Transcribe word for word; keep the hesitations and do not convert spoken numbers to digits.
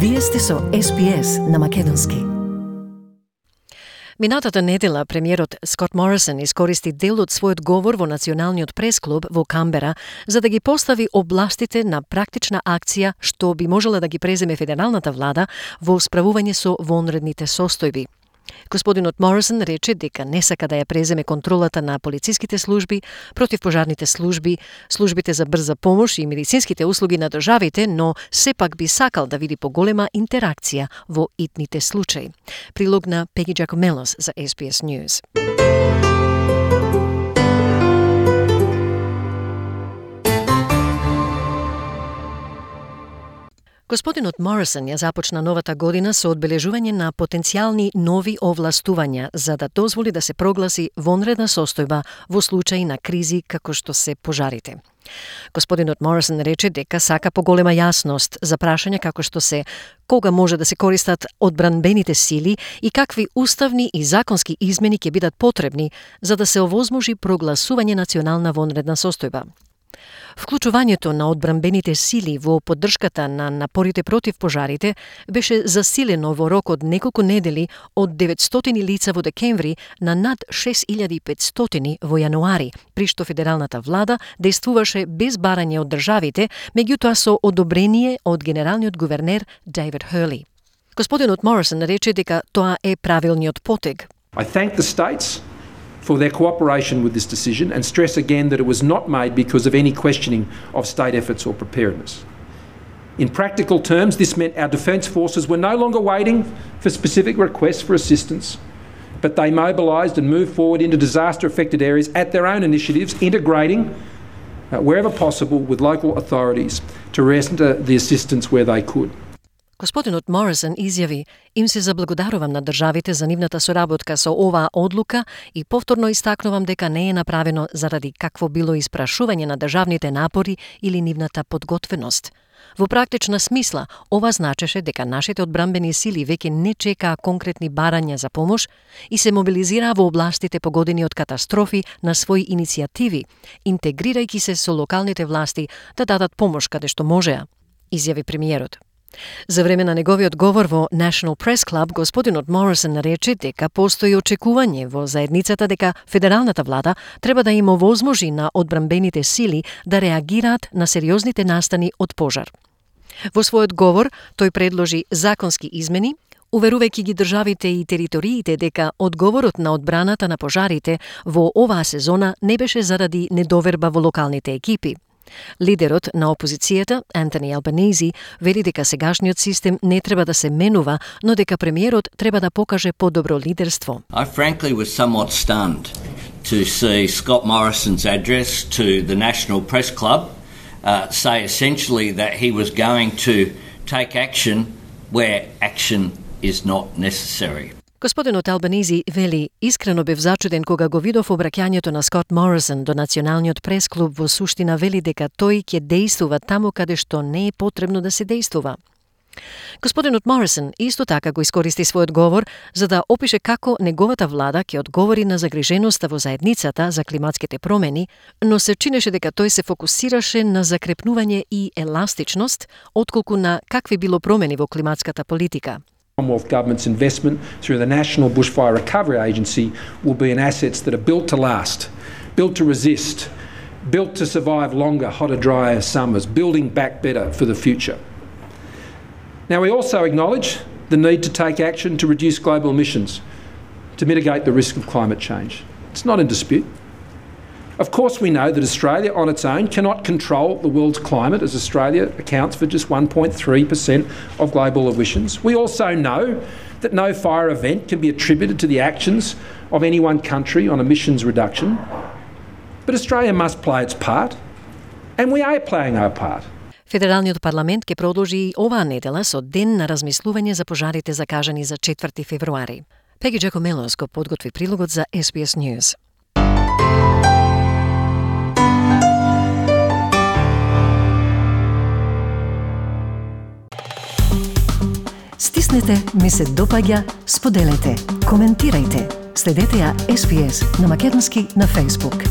Вие сте со Ес Би Ес на македонски. Минатата недела премиерот Скот Морисон искористи дел од својот говор во Националниот пресклуб во Камбера за да ги постави областите на практична акција што би можела да ги преземе федералната влада во справување со вонредните состојби. Господинот Морисон рече дека не сака да ја преземе контролата на полициските служби, противпожарните служби, службите за брза помош и медицинските услуги на државите, но сепак би сакал да види поголема интеракција во итните случаи. Прилог на Пеги Джакомелос за Ес Би Ес News. Господинот Морисон ја започна новата година со одбележување на потенцијални нови овластувања за да дозволи да се прогласи вонредна состојба во случаи на кризи како што се пожарите. Господинот Морисон рече дека сака поголема јасност за прашања како што се кога може да се користат одбранбените сили и какви уставни и законски измени ќе бидат потребни за да се овозможи прогласување национална вонредна состојба. Вклучувањето на одбранбените сили во поддршката на напорите против пожарите беше засилено во рок од неколку недели од деветстотини лица во декември на над шест илјади и петстотини во јануари, при што федералната влада действуваше без барање од државите, меѓутоа со одобрение од генералниот гувернер Дейвид Хърли. Господинот Морисон рече дека тоа е правилниот потег. I thank the states for their cooperation with this decision and stress again that it was not made because of any questioning of state efforts or preparedness. In practical terms, this meant our defence forces were no longer waiting for specific requests for assistance, but they mobilised and moved forward into disaster-affected areas at their own initiatives, integrating uh, wherever possible with local authorities to render the assistance where they could. Господинот Морисон изјави: "Им се заблагодарувам на државите за нивната соработка со оваа одлука и повторно истакнувам дека не е направено заради какво било испрашување на државните напори или нивната подготвеност. Во практична смисла, ова значеше дека нашите одбранбени сили веќе не чекаа конкретни барања за помош и се мобилизираа во областите погодени од катастрофи на своји иницијативи, интегрирајќи се со локалните власти да дадат помош каде што можеа", изјави премиерот. За време на неговиот говор во National Press Club, господинот Морисон рече дека постои очекување во заедницата дека федералната влада треба да им овозможи на одбранбените сили да реагираат на сериозните настани од пожар. Во својот говор тој предложи законски измени, уверувајќи ги државите и териториите дека одговорот на одбраната на пожарите во оваа сезона не беше заради недоверба во локалните екипи. Лидерот на опозицијата, Антони Албанези, вели дека сегашниот систем не треба да се менува, но дека премиерот треба да покаже подобро лидерство. I frankly was somewhat stunned to see Scott Morrison's address to the National Press Club uh, say essentially that he was going to take action where action is not necessary. Господинот Албанези вели: "Искрено бев зачуден кога го видов обраќањето на Скот Морисон до Националниот пресклуб, во суштина вели дека тој ќе действува таму каде што не е потребно да се действува." Господинот Морисон исто така го искористи својот говор за да опише како неговата влада ќе одговори на загриженоста во заедницата за климатските промени, но се чинеше дека тој се фокусираше на закрепнување и еластичност, отколку на какви било промени во климатската политика. Commonwealth Government's investment through the National Bushfire Recovery Agency will be in assets that are built to last, built to resist, built to survive longer, hotter, drier summers, building back better for the future. Now, we also acknowledge the need to take action to reduce global emissions, to mitigate the risk of climate change. It's not in dispute. Of course, we know that Australia on its own cannot control the world's climate, as Australia accounts for just one point three percent of global emissions. We also know that no fire event can be attributed to the actions of any one country on emissions reduction. But Australia must play its part, and we are playing our part. Федералниот парламент ќе продолжи и оваа недела со ден на размислување за пожарите закажани за четврти февруари. Пеги Джакомелос го подготви прилогот за Ес Би Ес News. Стиснете, ми се допаѓа, споделете, коментирајте. Следете ја Ес Би Ес на македонски на Facebook.